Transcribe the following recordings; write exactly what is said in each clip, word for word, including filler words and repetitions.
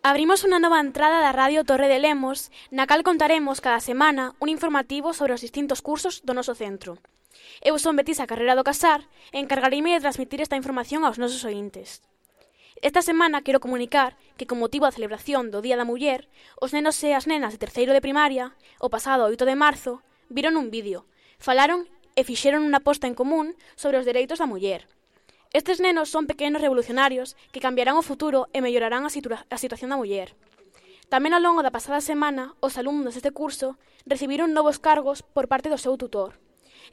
Abrimos unha nova entrada da Radio Torre de Lemos, na cal contaremos cada semana un informativo sobre os distintos cursos do noso centro. Eu son Betisa Carrera do Casar e encargareime de transmitir esta información aos nosos ointes. Esta semana quero comunicar que, con motivo da celebración do Día da Muller, os nenos e as nenas de terceiro de primaria, o pasado oito de marzo, viron un vídeo, falaron e fixeron unha posta en común sobre os dereitos da muller. Estes nenos son pequenos revolucionarios que cambiarán o futuro e mellorarán a, situa a situación da muller. Tamén ao longo da pasada semana, os alumnos deste curso recibiron novos cargos por parte do seu tutor.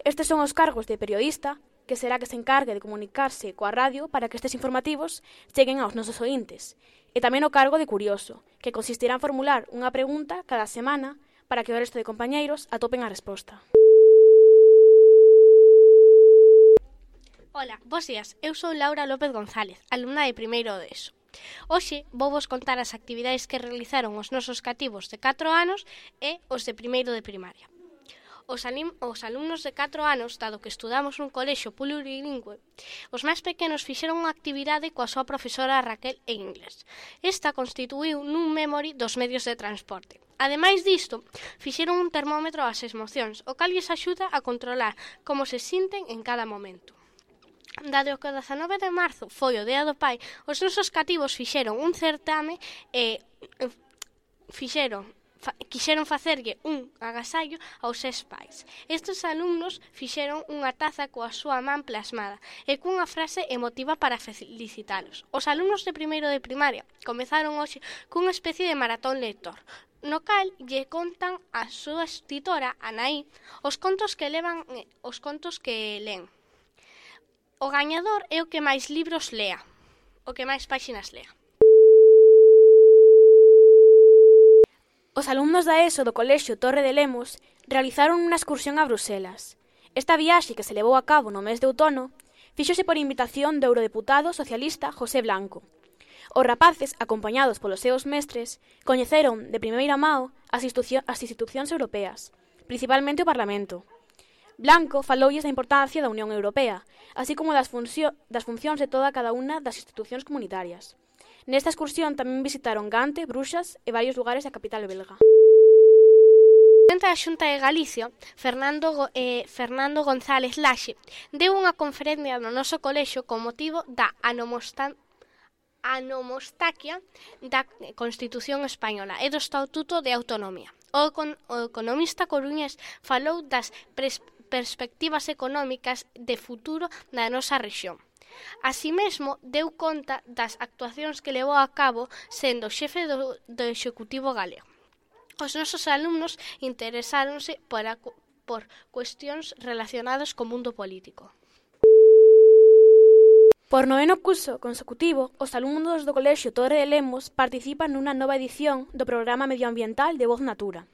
Estes son os cargos de periodista, que será que se encargue de comunicarse coa radio para que estes informativos cheguen aos nosos ointes, e tamén o cargo de curioso, que consistirá en formular unha pregunta cada semana para que o resto de compañeiros atopen a resposta. Ola, bos días, eu sou Laura López González, alumna de primeiro de ESO. Hoxe vou vos contar as actividades que realizaron os nosos cativos de catro anos e os de primeiro de primaria. Os, os alumnos de catro anos, dado que estudamos nun colexio plurilingüe, os máis pequenos fixeron unha actividade coa súa profesora Raquel en inglés. Esta constituíu nun memory dos medios de transporte. Ademais disto, fixeron un termómetro ás emocións, o cal lles axuda a controlar como se sinten en cada momento. Dado que o dezanove de marzo foi o Día do Pai, os nosos cativos fixeron un certame e fixeron, fa, quixeron facerlle un agasallo aos seus pais. Estes alumnos fixeron unha taza coa súa man plasmada e cunha frase emotiva para felicitalos. Os alumnos de primeiro de primaria comezaron hoxe cunha especie de maratón lector, no cal lle contan a súa tutora, Anaí, os contos que levan, os contos que len. O gañador é o que máis libros lea, o que máis páxinas lea. Os alumnos da ESO do Colexio Torre de Lemos realizaron unha excursión a Bruselas. Esta viaxe, que se levou a cabo no mes de outono, fíxose por invitación do eurodeputado socialista José Blanco. Os rapaces, acompañados polos seus mestres, coñeceron de primeira mao as, as institucións europeas, principalmente o Parlamento. Blanco faloulles da importancia da Unión Europea, así como das, funcio das funcións de toda cada unha das institucións comunitarias. Nesta excursión tamén visitaron Gante, Bruxas e varios lugares da capital belga. O presidente da Xunta de Galicia, Fernando, eh, Fernando González Laxe, deu unha conferencia no noso colexio con motivo da anomostancia anomostaquia da Constitución Española e do Estatuto de Autonomía. O, con, o economista coruñés falou das pres, perspectivas económicas de futuro da nosa rexión. Así mesmo, deu conta das actuacións que levou a cabo sendo xefe do, do Executivo galego. Os nosos alumnos interesáronse por, a, por cuestións relacionadas co mundo político. Por noveno curso consecutivo, os alumnos do Colexio Torre de Lemos participan nunha nova edición do programa medioambiental de Voz Natura.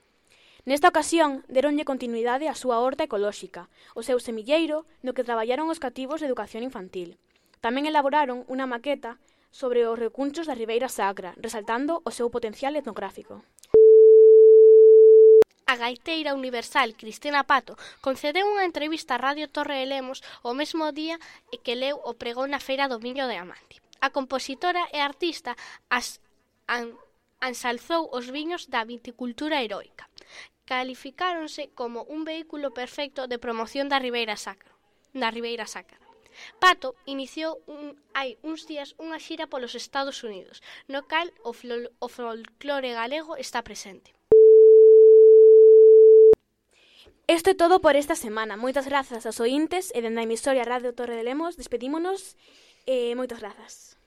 Nesta ocasión, deronlle continuidade á súa horta ecolóxica, o seu semilleiro no que traballaron os cativos de educación infantil. Tamén elaboraron unha maqueta sobre os recunchos da Ribeira Sacra, resaltando o seu potencial etnográfico. A gaiteira universal Cristina Pato concedeu unha entrevista a Radio Torre de Lemos o mesmo día que leu o pregón na Feira do Miño de Amante. A compositora e artista as, an, ensalzou os viños da viticultura heroica. Calificáronse como un vehículo perfecto de promoción da Ribeira Sacra. Da Ribeira Sacra. Pato iniciou un, hai uns días unha xira polos Estados Unidos, no cal o, flo, o folclore galego está presente. Isto é todo por esta semana. Moitas grazas aos ointes e dende a emisoria Radio Torre de Lemos despedímonos e moitas grazas.